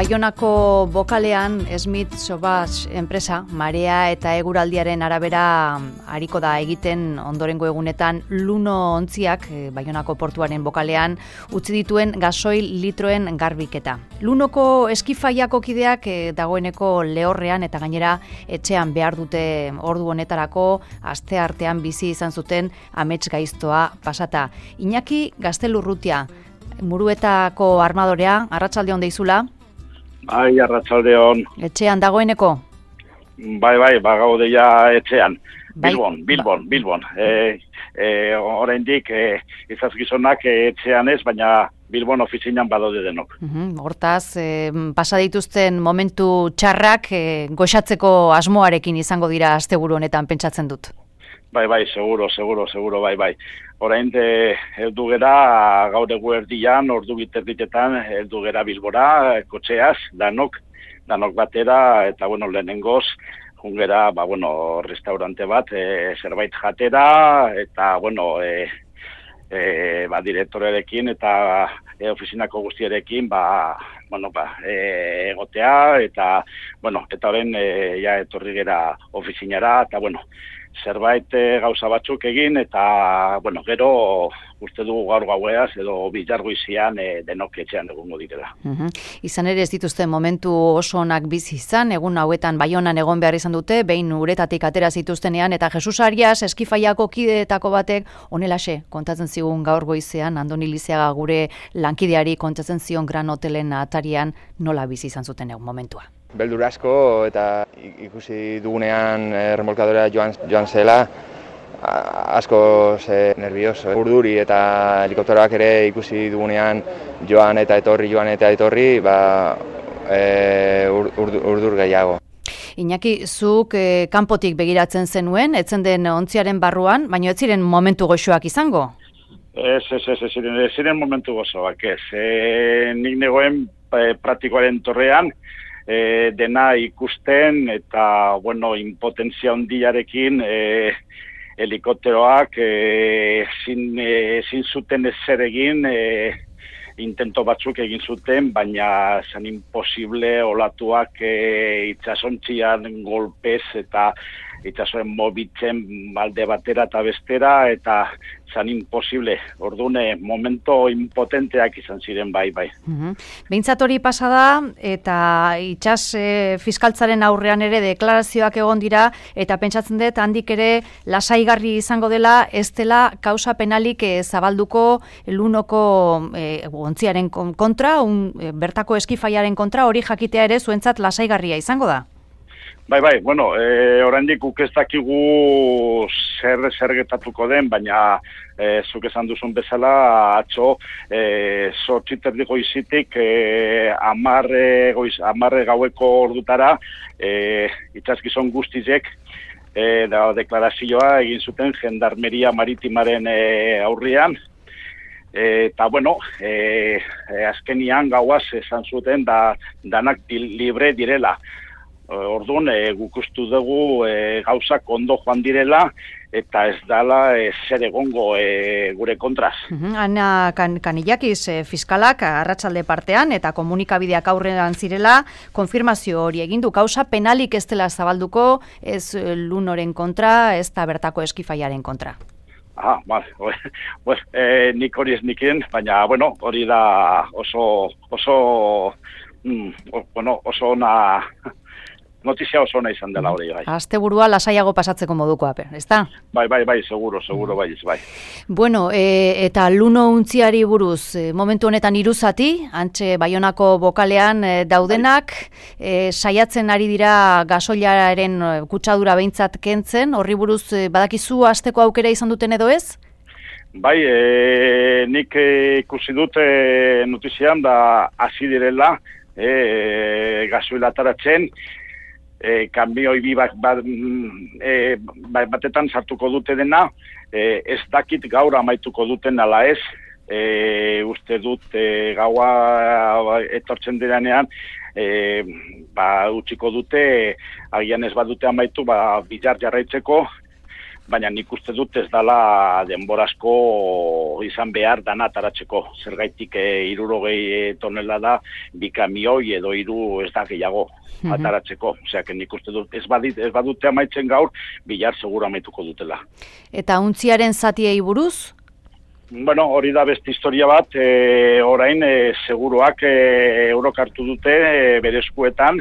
Baionako bokalean Smith Sauvage enpresa marea eta eguraldiaren arabera ariko da egiten ondorengo egunetan luno ontziak Baionako portuaren bokalean utzi dituen gasoil litroen garbiketa. Lunoko eskifaiako kideak dagoeneko lehorrean eta gainera etxean behar dute ordu honetarako asteartean bizi izan zuten amets gaiztoa pasata. Iñaki Gaztelurrutia, Muruetako armadorea, arratsaldeon deizula. Bai, arratsaldeon. Etxean dagoeneko? Bai, gaude ja etxean. Bilbon. Oraindik izazgizonak etxean ez, baina Bilbon ofizinan badaude denok. Hortaz, pasa dituzten momentu txarrak goxatzeko asmoarekin izango dira asteburu honetan pentsatzen dut. Bai, seguro, bai. Orain heldu gera gaur eguerdian, ordu biterditetan heldu gera Bilbora, kotxeaz, danok batera, eta lehenengoz, jungera, restaurante bat, zerbait jatera, eta, direktorearekin eta ofizinako guztiarekin, egotea, eta orain, etorri gera ofizinara, eta, zerbait gauza batzuk egin, eta, gero uste dugu gaur gaueaz edo bilargoizian denok etxean egongo direla. Izan ere ez dituzten momentu oso onak bizi izan, egun hauetan Baionan egon behar izan dute, behin uretatik atera zituztenean, eta Jesus Arias eskifaiako kideetako batek honelaxe kontatzen zigun gaur goizean, Andoni Lizeaga gure lankideari kontatzen zion Gran Hotelen atarian nola bizi izan zuten egun momentua. Beldur asko eta ikusi dugunean remolkadorea joan zela, asko nervioso. Urduri eta helikopteroak ere ikusi dugunean joan eta etorri, urdur gehiago. Iñaki, zuk kanpotik begiratzen zenuen, etzen den ontziaren barruan, baina ez ziren momentu goxoak izango? Ez ziren momentu gozoak, ez. Nik negoen praktikoaren torrean, dena ikusten eta, impotentzia handiarekin helikopteroak ezin zuten ezer egin, intento batzuk egin zuten, baina zan imposible olatuak itsasontzian golpez eta itsasoen mobitzen balde batera eta bestera, eta zan imposible. Ordune, momento impotenteak izan ziren bai. Behintzat hori pasada, eta itsas fiskaltzaren aurrean ere deklarazioak egon dira, eta pentsatzen dut handik ere lasaigarri izango dela, ez dela kausa penalik zabalduko lunoko ontziaren kontra, bertako eskifaiaren kontra, hori jakitea ere zuentzat lasaigarria izango da? Bai, oraindik guk ez dakigu zer gertatuko den, baina zuk esan duzun bezala, atzo, 8:30 goizitik 10 gaueko ordutara, itsasgizon guztizek deklarazioa egin zuten Gendarmeria Maritimaren aurrean, eta azkenian gauaz esan zuten danak libre direla. Orduan, guk ustu dugu gauzak ondo joan direla, eta ez dala zer egongo gure kontraz. Ana Kanillakiz fiskalak arratsalde partean eta komunikabideak aurrean zirela, konfirmazio hori egin du, kausa penalik ez dela zabalduko, ez lunoren kontra, ez da bertako eskifaiaren kontra. Nik hori ez nikien, baina, hori da oso ona... Notizia oso ona izan dela hori, bai. Asteburua lasaiago pasatzeko modukoa, ezta? Bai, seguro, bai. Bueno, eta luno untziari buruz, momentu honetan iruzati, antxe Baionako bokalean daudenak, saiatzen ari dira gasoilaren kutsadura behintzat kentzen, horri buruz badakizu hasteko aukera izan duten edo ez? Bai, nik ikusi dut notizian da hasi direla gasoila ataratzen, kanbioi bi batetan sartuko dute dena, ez dakit gaur amaituko duten ala ez, uste dut gaua etortzen diranean, utziko dute, agian ez badute amaitu, bilar jarraitzeko, baina nik uste dut ez dala denborazko izan behar dana ataratzeko. Zergaitik 60 tonela da, 2 kamioi edo 3 ez da gehiago ataratzeko. Osea, nik uste dut ez badute amaitzen gaur, bihar segura amaituko dutela. Eta untziaren zatiei buruz? Bueno, hori da beste historia bat, orain seguruak eurok hartu dute bere eskuetan,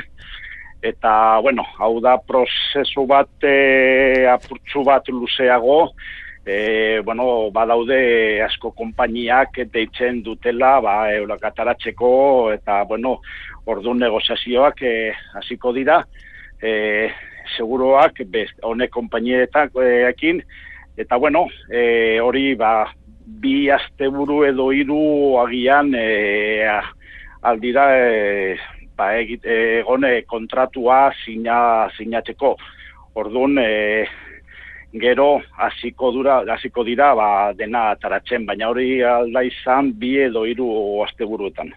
eta, bueno, hau da prozesu bat, apurtxu bat luzeago, bueno, badaude asko konpainiak deitzen dutela, eurok ataratzeko, eta, bueno, orduan negoziazioak hasiko dira, seguruak honek konpainieekin, eta, bueno, hori, 2 asteburu edo 3 agian aldira egone kontratua sinatzeko. Orduan, gero hasiko dira dena ataratzen, baina hori alda izan 2 edo 3 asteburuetan.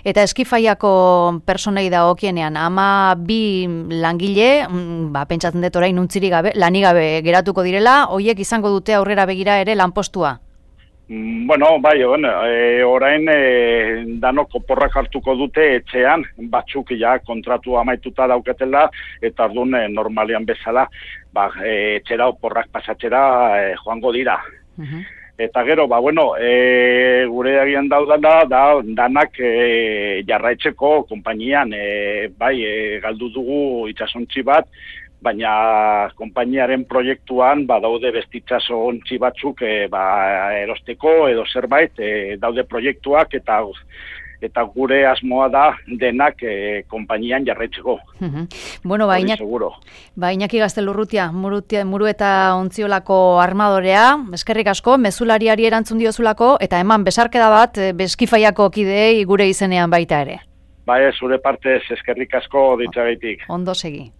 Eta Eskifaiako personei dagokienean, 12 langile, pentsatzen dut orain untzirik gabe, lanik gabe geratuko direla, hoiek izango dute aurrera begira ere lanpostua? Bueno, orain danok oporrak hartuko dute etxean, batzuk ja kontratu amaituta dauketela, eta orduan normalean bezala, etxera oporrak pasatzera joango dira. Eta gero, gure agian daudana, danak jarraitzeko konpainian, galdu dugu itsasontzi bat, baina konpainiaren proiektuan daude bestitzaso ontzi batzuk erosteko edo zerbait, daude proiektuak eta gure asmoa da denak konpainian jarraitzeko. Bueno, Iñaki Gaztelurrutia, Muru eta Ontziolako armadorea, eskerrik asko, mezulariari erantzun diozulako, eta eman besarkeda bat Eskifaiako kideei gure izenean baita ere. Zure partez eskerrik asko ditzagaitik. Ondo segi.